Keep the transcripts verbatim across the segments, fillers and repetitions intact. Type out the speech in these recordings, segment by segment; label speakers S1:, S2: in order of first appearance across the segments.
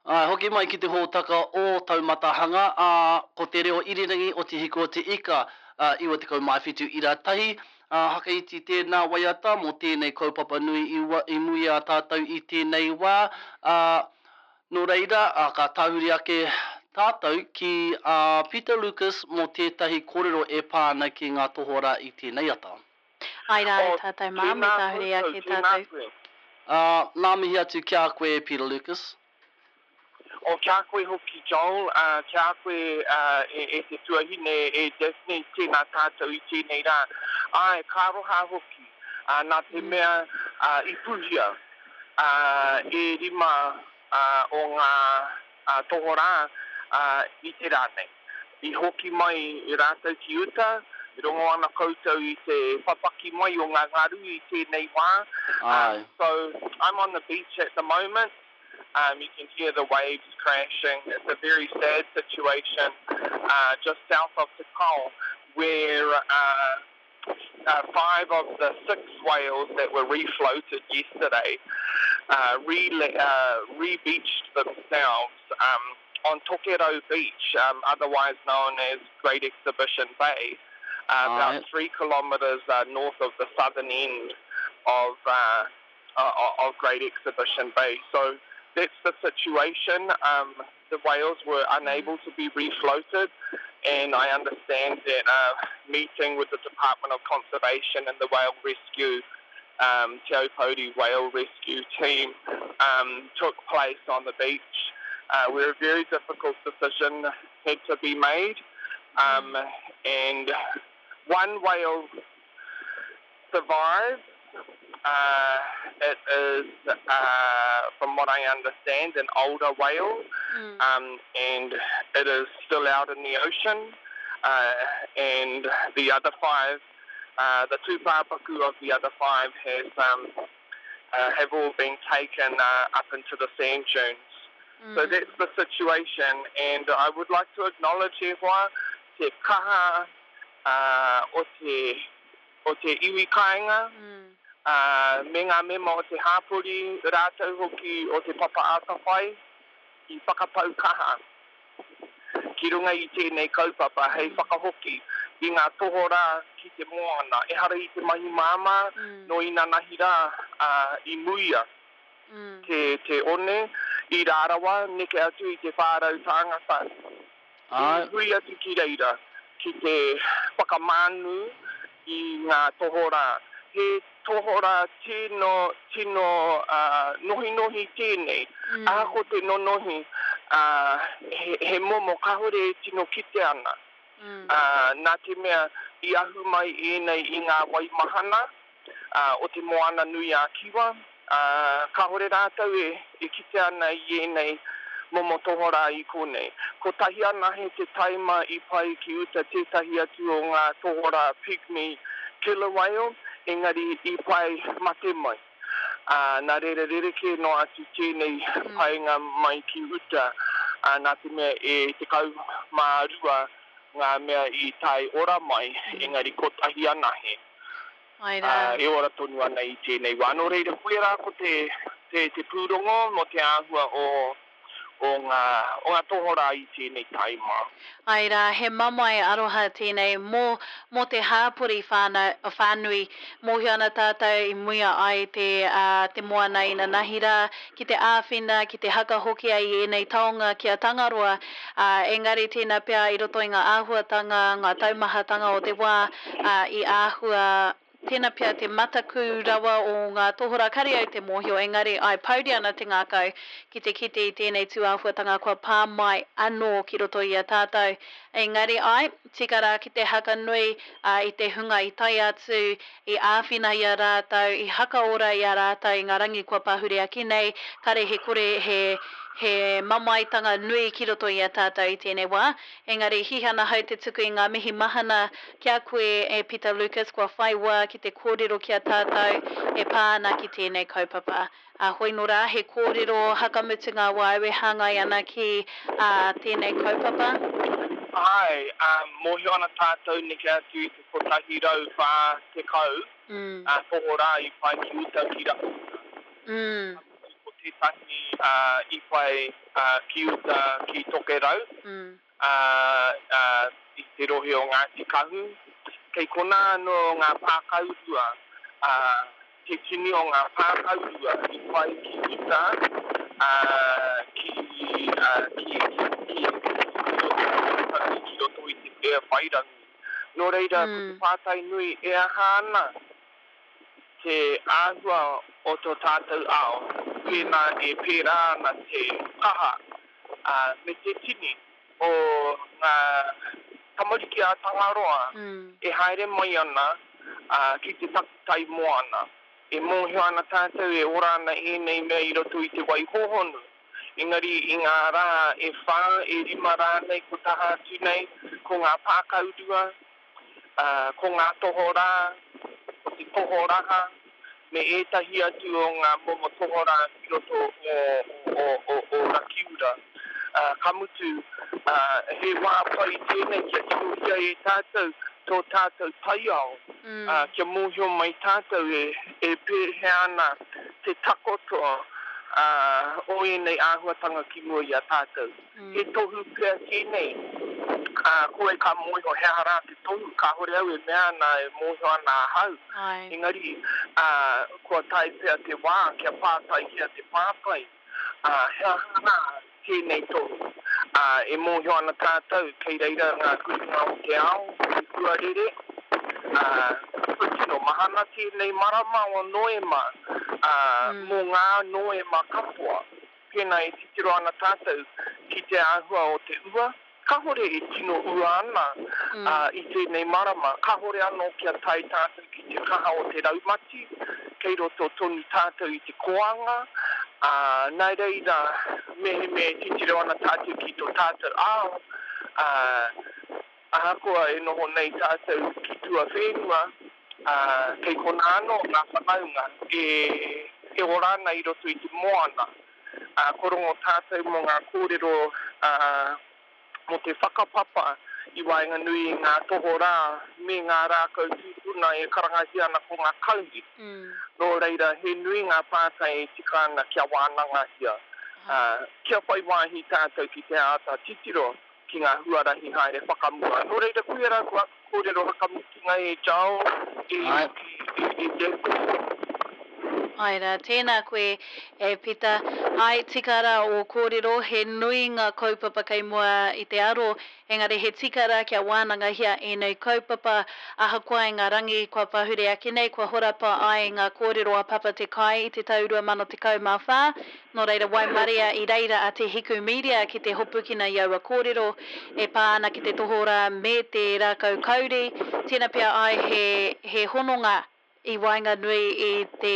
S1: Āe, hoki mai ki te hōtaka o Taumatahanga, ā, ko te reo irirangi o Te Hiku o Te Ika, ā, iwa tekau mā whitu ira tahi, ā, Hakaiti tēnā waiata mō tēnei kaupapa nui i, wa, i mui a tātou i tēnei wā, ā, nō reira, ā, ka tahuri ake tātou ki a Peter Lucas mō tētahi kōrero e pā ana ki ngā tohorā i tēnei ata.
S2: Ai rā e
S3: Oh,
S2: tātou mā, me
S3: tēnā
S2: tahuri
S3: koutou,
S2: ake
S3: tēnā
S2: tātou.
S3: koe.
S1: Ā, nā mihi atu ki a koe, Peter Lucas.
S3: O kia koe hoki, Joel, uh, kia koe uh, e, e te tuahine, e Daphne, tēnā tātou i tēnei rā. Ai, ka aroha hoki, uh, nā te mea uh, i pūhia uh, e rima uh, o ngā uh, tohorā uh, i te rā nei. I hoki mai rātou ki uta, rongo ana koutou i te papaki mai o ngā ngaru i tēnei wā. Um,
S1: Ai.
S3: so I'm on the beach at the moment. Um, you can hear the waves crashing. It's a very sad situation uh, just south of Te Pao, where uh, uh, five of the six whales that were refloated yesterday uh, re- uh, re-beached themselves um, on Tokerau Beach, um, otherwise known as Great Exhibition Bay, uh, about
S1: Ai.
S3: three kilometres uh, north of the southern end of, uh, uh, of Great Exhibition Bay. So that's the situation. Um, the whales were unable to be refloated, and I understand that uh, meeting with the Department of Conservation and the Whale Rescue, um, Te Aupōuri Whale Rescue Team, um, took place on the beach, uh, where a very difficult decision had to be made. Um, and one whale survived. Uh, it is, uh, from what I understand, an older whale,
S2: Mm.
S3: um, and it is still out in the ocean. Uh, and the other five, uh, the two pāpaku of the other five has, um, uh, have all been taken uh, up into the sand dunes. So
S2: Mm.
S3: that's the situation, and I would like to acknowledge e hoa, te kaha uh, o te, o te iwi kāinga,
S2: Mm.
S3: uh, me ngā mema o te hāpori, rātou hoki o te papa ātawhai, i whakapau kaha ki runga i tēnei kaupapa hei whakahoki i ngā tohorā ki te moana. Ehara i te mahi māmā,
S2: Mm.
S3: no inanahi rā uh, i muia
S2: Mm.
S3: te, te one, i rārawa, neke atu i te whārau tāngata.
S1: Ai.
S3: I hui atu ki reira, ki te whakamānu i ngā tohorā. He tohorā tino, tino uh, nohinohi tēnei.
S2: Mm.
S3: Ahako te nonohi, uh, he, he momo kahore e tino kite ana.
S2: Mm.
S3: Uh, nā te mea i ahu mai ēnei i ngā waimahana uh, o te moana nui a Kiwa. Uh, kahore rātou e, e kite ana i ēnei momo tohorā i konei. Ko tahi anahe te taima i pai ki uta tētahi atu o ngā tohorā pygmy killer whale, engari i pai mate mai. Uh, nā reira rereke no atu tēnei
S2: Mm.
S3: painga mai ki uta, uh, nā te mea e tekau mā rua ngā mea i tae ora mai,
S2: Mm.
S3: engari ko tahi anahe.
S2: Ai
S3: Uh,
S2: rā.
S3: e ora tonu ana i tēnei wā. Nō reira, koe rā ko te, te, te pūrongo mō te āhua o, o ngā, o ngā tohorā i tēnei taima.
S2: Ai rā, he mamae aroha tēnei mō, mō te hāpori whānau, whānui. Mōhio ana tātou i muia ai te, uh, te moana inanahi rā, ki te āwhina, ki te hakahokia i ēnei taonga ki a Tangaroa. Uh, engari tēnā pea i roto i ngā āhuatanga, ngā taumahatanga o te wā, uh, i āhua tēnā pea te mataku rawa o ngā tohorā kare au te mōhio, engari ai pauri ana te ngākau ki te kite i tēnei tūāhuatanga kua pā mai anō ki roto i a tātou. Engari ai, tika rā ki te hakanui uh, i te hunga i tae atu, i āwhina i a rātou, i hakaora i a rātou i ngā rangi kua pahure ake nei, kare he kore he, he mamaetanga nui ki roto i a tātou i tēnei wā. Engari hihana hau te tuku i ngā mihi mahana ki a koe e Peter Lucas kua whai wā ki te kōrero ki a tātou e pā ana ki tēnei kaupapa. Uh, hoi nō rā, he kōrero hakamutunga wāu e hāngai ana ki uh, tēnei kaupapa.
S3: Ai, um, mōhio ana tātou neke atu i te kotahi rau whā tekau,
S2: Mm.
S3: uh, tohorā i pai ki uta ki ra.
S2: Mm.
S3: Ko tētahi uh, i whai uh, ki uta ki Tokerau,
S2: mm.
S3: uh, uh, i te rohe o Ngāti Kahu. Kei konā anō ngā pākaurua, uh, te tini o ngā pākaurua i whai ki uta, uh, ki, uh, ki, ki, ki, ki, ki roto i te Bay of Wairangi. Nō reira,
S2: Mm.
S3: ko te pātai nui e aha ana te āhua o tō tātou ao, pēnā e pērā ana te kaha uh, me te tini o ngā tamariki a Tangaroa
S2: Mm.
S3: e haere mai ana uh, ki te takutai moana. E mōhio ana tātou e ora ana ēnei mea i roto i te wai hōhonu. Engari i ngā rā e whā, e rima rānei ko taha atu nei, ko ngā pākaurua, uh, ko ngā tohorā, ko te tohoraha, me ētahi atu o ngā momo tohorā ki roto o, o, o, o Rakiura. Uh, ka mutu, uh, he wā pai tēnei kia tirohia e tātou tō tātou taiao,
S2: Mm.
S3: uh, kia mōhio mai tātou e, e pēhea ana te takoto uh, o ēnei āhuatanga ki mua i a tātou.
S2: Mm.
S3: He tohu pea tēnei, uh, koe ka mōhio he aha rā te tohu, kāhore au e mea ana e mōhio ana ahau.
S2: Ai.
S3: Engari, uh, kua tae pea te wā, kia pātaihia te pātai, uh, he aha rā tēnei tohu. Uh, e mōhio ana tātou, kei reira ngā kuringa o te ao, te huarere, uh, kua tino mahana tēnei marama o Noema, uh,
S2: Mm.
S3: mō ngā Noema katoa. Pēnā e titiro ana tātou ki te āhua o te ua, kāhore e tino ua ana
S2: Mm.
S3: uh, i tēnei marama. Kāhore anō kia tae tātou ki te kaha o te raumati, kei roto tonu tātou i te koanga, uh, nā reira, mehemea e titiro ana tātou ki tō tātou ao, uh, ahakoa e noho nei tātou ki tuawhenua, uh, kei konā anō ngā whanaunga e, e ora ana i roto i te moana. Uh, ko rongo tātou mō ngā kōrero uh, mō te whakapapa i waenganui i ngā tohorā me ngā rākau tūpuna e karangahia ana ko ngā kauri.
S2: Mm.
S3: Nō reira, he nui ngā pātai e tika ana kia wānangahia. Uh, kia whai wāhi tātou ki te āta titiro ki ngā huarahi haere whakamua. Nō reira, koia rā ko aku kōrero whakamutunga e Joel, e,
S1: Ai.
S3: e, e, e Jack.
S2: Ai rā, tēnā koe e Pita. Ai, tika rā o kōrero, he nui ngā kaupapa kei mua i te aro, engari he tika rā kia wānangahia ēnei kaupapa, ahakoa i ngā rangi kua pahure ake nei, kua horapa ai ngā kōrero a Papa Te Kai i te tau rua mano tekau mā whā. Nō reira, waimaria i reira a Te Hiku Media ki te hopukina i aua kōrero e pā ana ki te tohorā me te rākau kauri. Tēnā pea ai he, he hononga i waenganui i te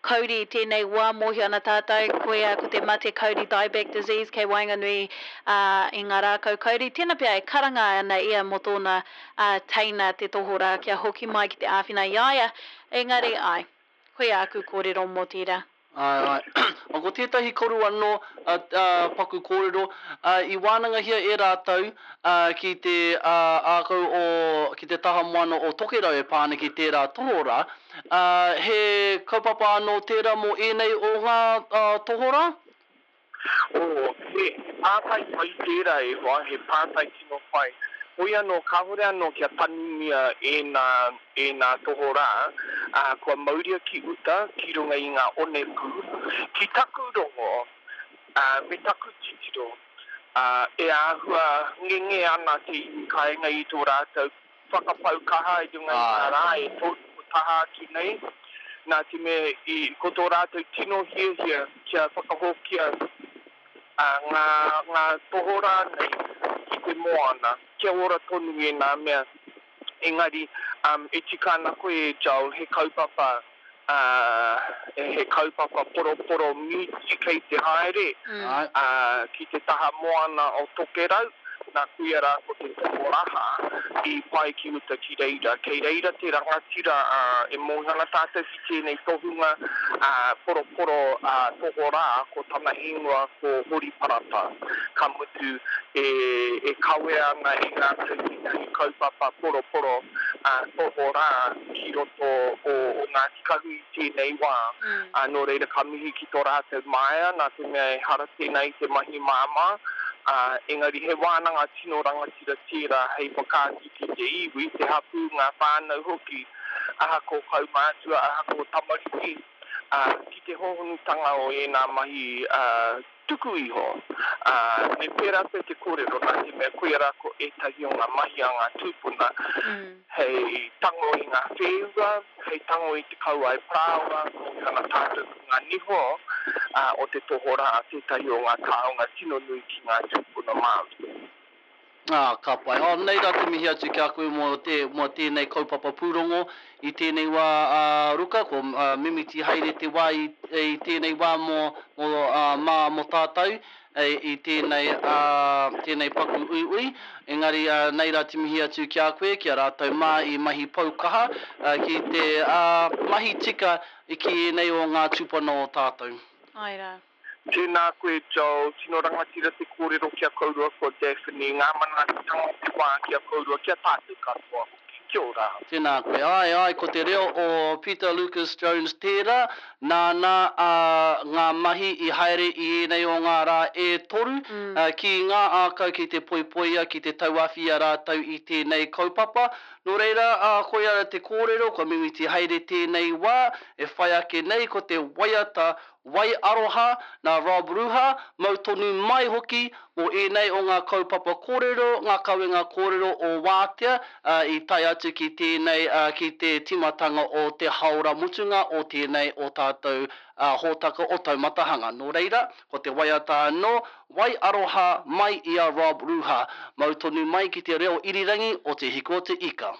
S2: kauri i tēnei wā mōhio ana tātou, koia ko te mate kauri dieback disease kei waenganui uh, i ngā rākau kauri. Tēnā pea e karanga ana ia mō tōna uh, teina te tohorā kia hoki mai ki te āwhina i a ia. Engari ai, koia aku kōrero mō tērā.
S1: Ai, ai. O ko tētahi koru anō uh, uh, paku kōrero, uh, i wānangahia e rātou uh, ki te uh, ākau o, ki te taha moana o Tokerau e pā ana ki tērā tohorā. Uh, he kaupapa anō tērā mō ēnei o ngā uh, tohorā?
S3: O, he pātai pai tērā e hoa, he pātai tino pai. Hoi anō, kāhore anō kia tanumia e nā, e nā tohorā, uh, kua mauria ki uta, ki runga i ngā onepū. Ki taku rongo, uh, me taku titiro, uh, e āhua ngenge ana te iwi kāinga i tō rātou whakapau kaha i runga i ngā rā e toru ko taha atu nei. Nā te mea, i, ko tō rātou tino hiahia kia whakahokia uh, ngā, ngā tohorā nei ki te moana, kia ora tonu e nā mea. Engari, um, e tika ana koe e Joel, he kaupapa, uh, he kaupapa poroporo mīti kei te haere,
S2: Mm.
S1: Ai.
S3: uh, ki te taha moana o Tokerau, nā kuia rā ko te tohoraha, i pae ki uta ki reira. Kei reira te rangatira uh, e mōhio ana tātou ki tēnei tohunga uh, poroporo uh, tohorā, ko tana ingoa ko Hori Parata. Ka mutu e, e kawea ana e rātou tētahi kaupapa poroporo uh, tohorā ki roto o, o Ngāti Kahu i tēnei wā.
S2: Mm.
S3: Uh, nō reira ka mihi ki tō rātou māia, nā te mea ehara tēnei i te mahi māmā, uh, engari he wānanga tino rangatira tērā hei whakaatu ki te iwi, te hapū, ngā whānau hoki, ahako kaumātua, ahako tamariki, uh, ki te hōhonutanga o ēnā mahi uh, tuku iho. Uh, me pērā pea te kōrero, nā te mea koia rā ko ētahi o ngā mahi a ngā tūpuna,
S2: Mm.
S3: hei tango i ngā wheua, hei tango i te kauae parāoa, mōhio ana tātou ko ngā niho uh, o te tohorā, tētahi o ngā taonga tino nui ki ngā tūpuna Māori.
S1: Ah, ka pai. Oh, nei rā te mihi atu ki a koe mō, te, mō tēnei kaupapa pūrongo i tēnei wā uh, Ruka, ko uh, mimiti haere te wā i, i tēnei wā mō, mō, uh, mā mō tātou e, i tēnei, uh, tēnei paku uiui. Engari uh, nei rā te mihi atu ki a koe, ki a rātou mā i mahi poukaha, uh, ki te uh, mahi tika i ki ēnei o ngā tūpuna o tātou.
S2: Ai rā.
S3: Tēnā koe, Joel, tino rangatira te kōrero ki a kourua ko Daphne, ngā manaakitanga o te wā ki a kourua, ki a tātou katoa hoki. Kia ora.
S1: Tēnā koe. Ai, ai, ko te reo o Peter Lucas Jones tērā, nāna uh, ngā mahi i haere i ēnei o ngā rā e toru,
S2: Mm.
S1: uh, ki ngā ākau ki te poipoia, ki te tauawhi a rātou i tēnei kaupapa. Nō reira, uh, koia te kōrero, kua mimiti haere tēnei wā, e whai ake nei ko te waiata Wai Aroha nā Rob Ruha, mau tonu mai hoki mō ēnei o ngā kaupapa kōrero, ngā kawenga kōrero o Wātea uh, i tae atu ki tēnei, uh, ki te timatanga o te haora mutunga o tēnei o tātou uh, hōtaka o Taumatahanga. Nō reira, ko te waiata anō, Wai Aroha mai i a Rob Ruha. Mau tonu mai ki te reo irirangi o Te Hiku o Te Ika.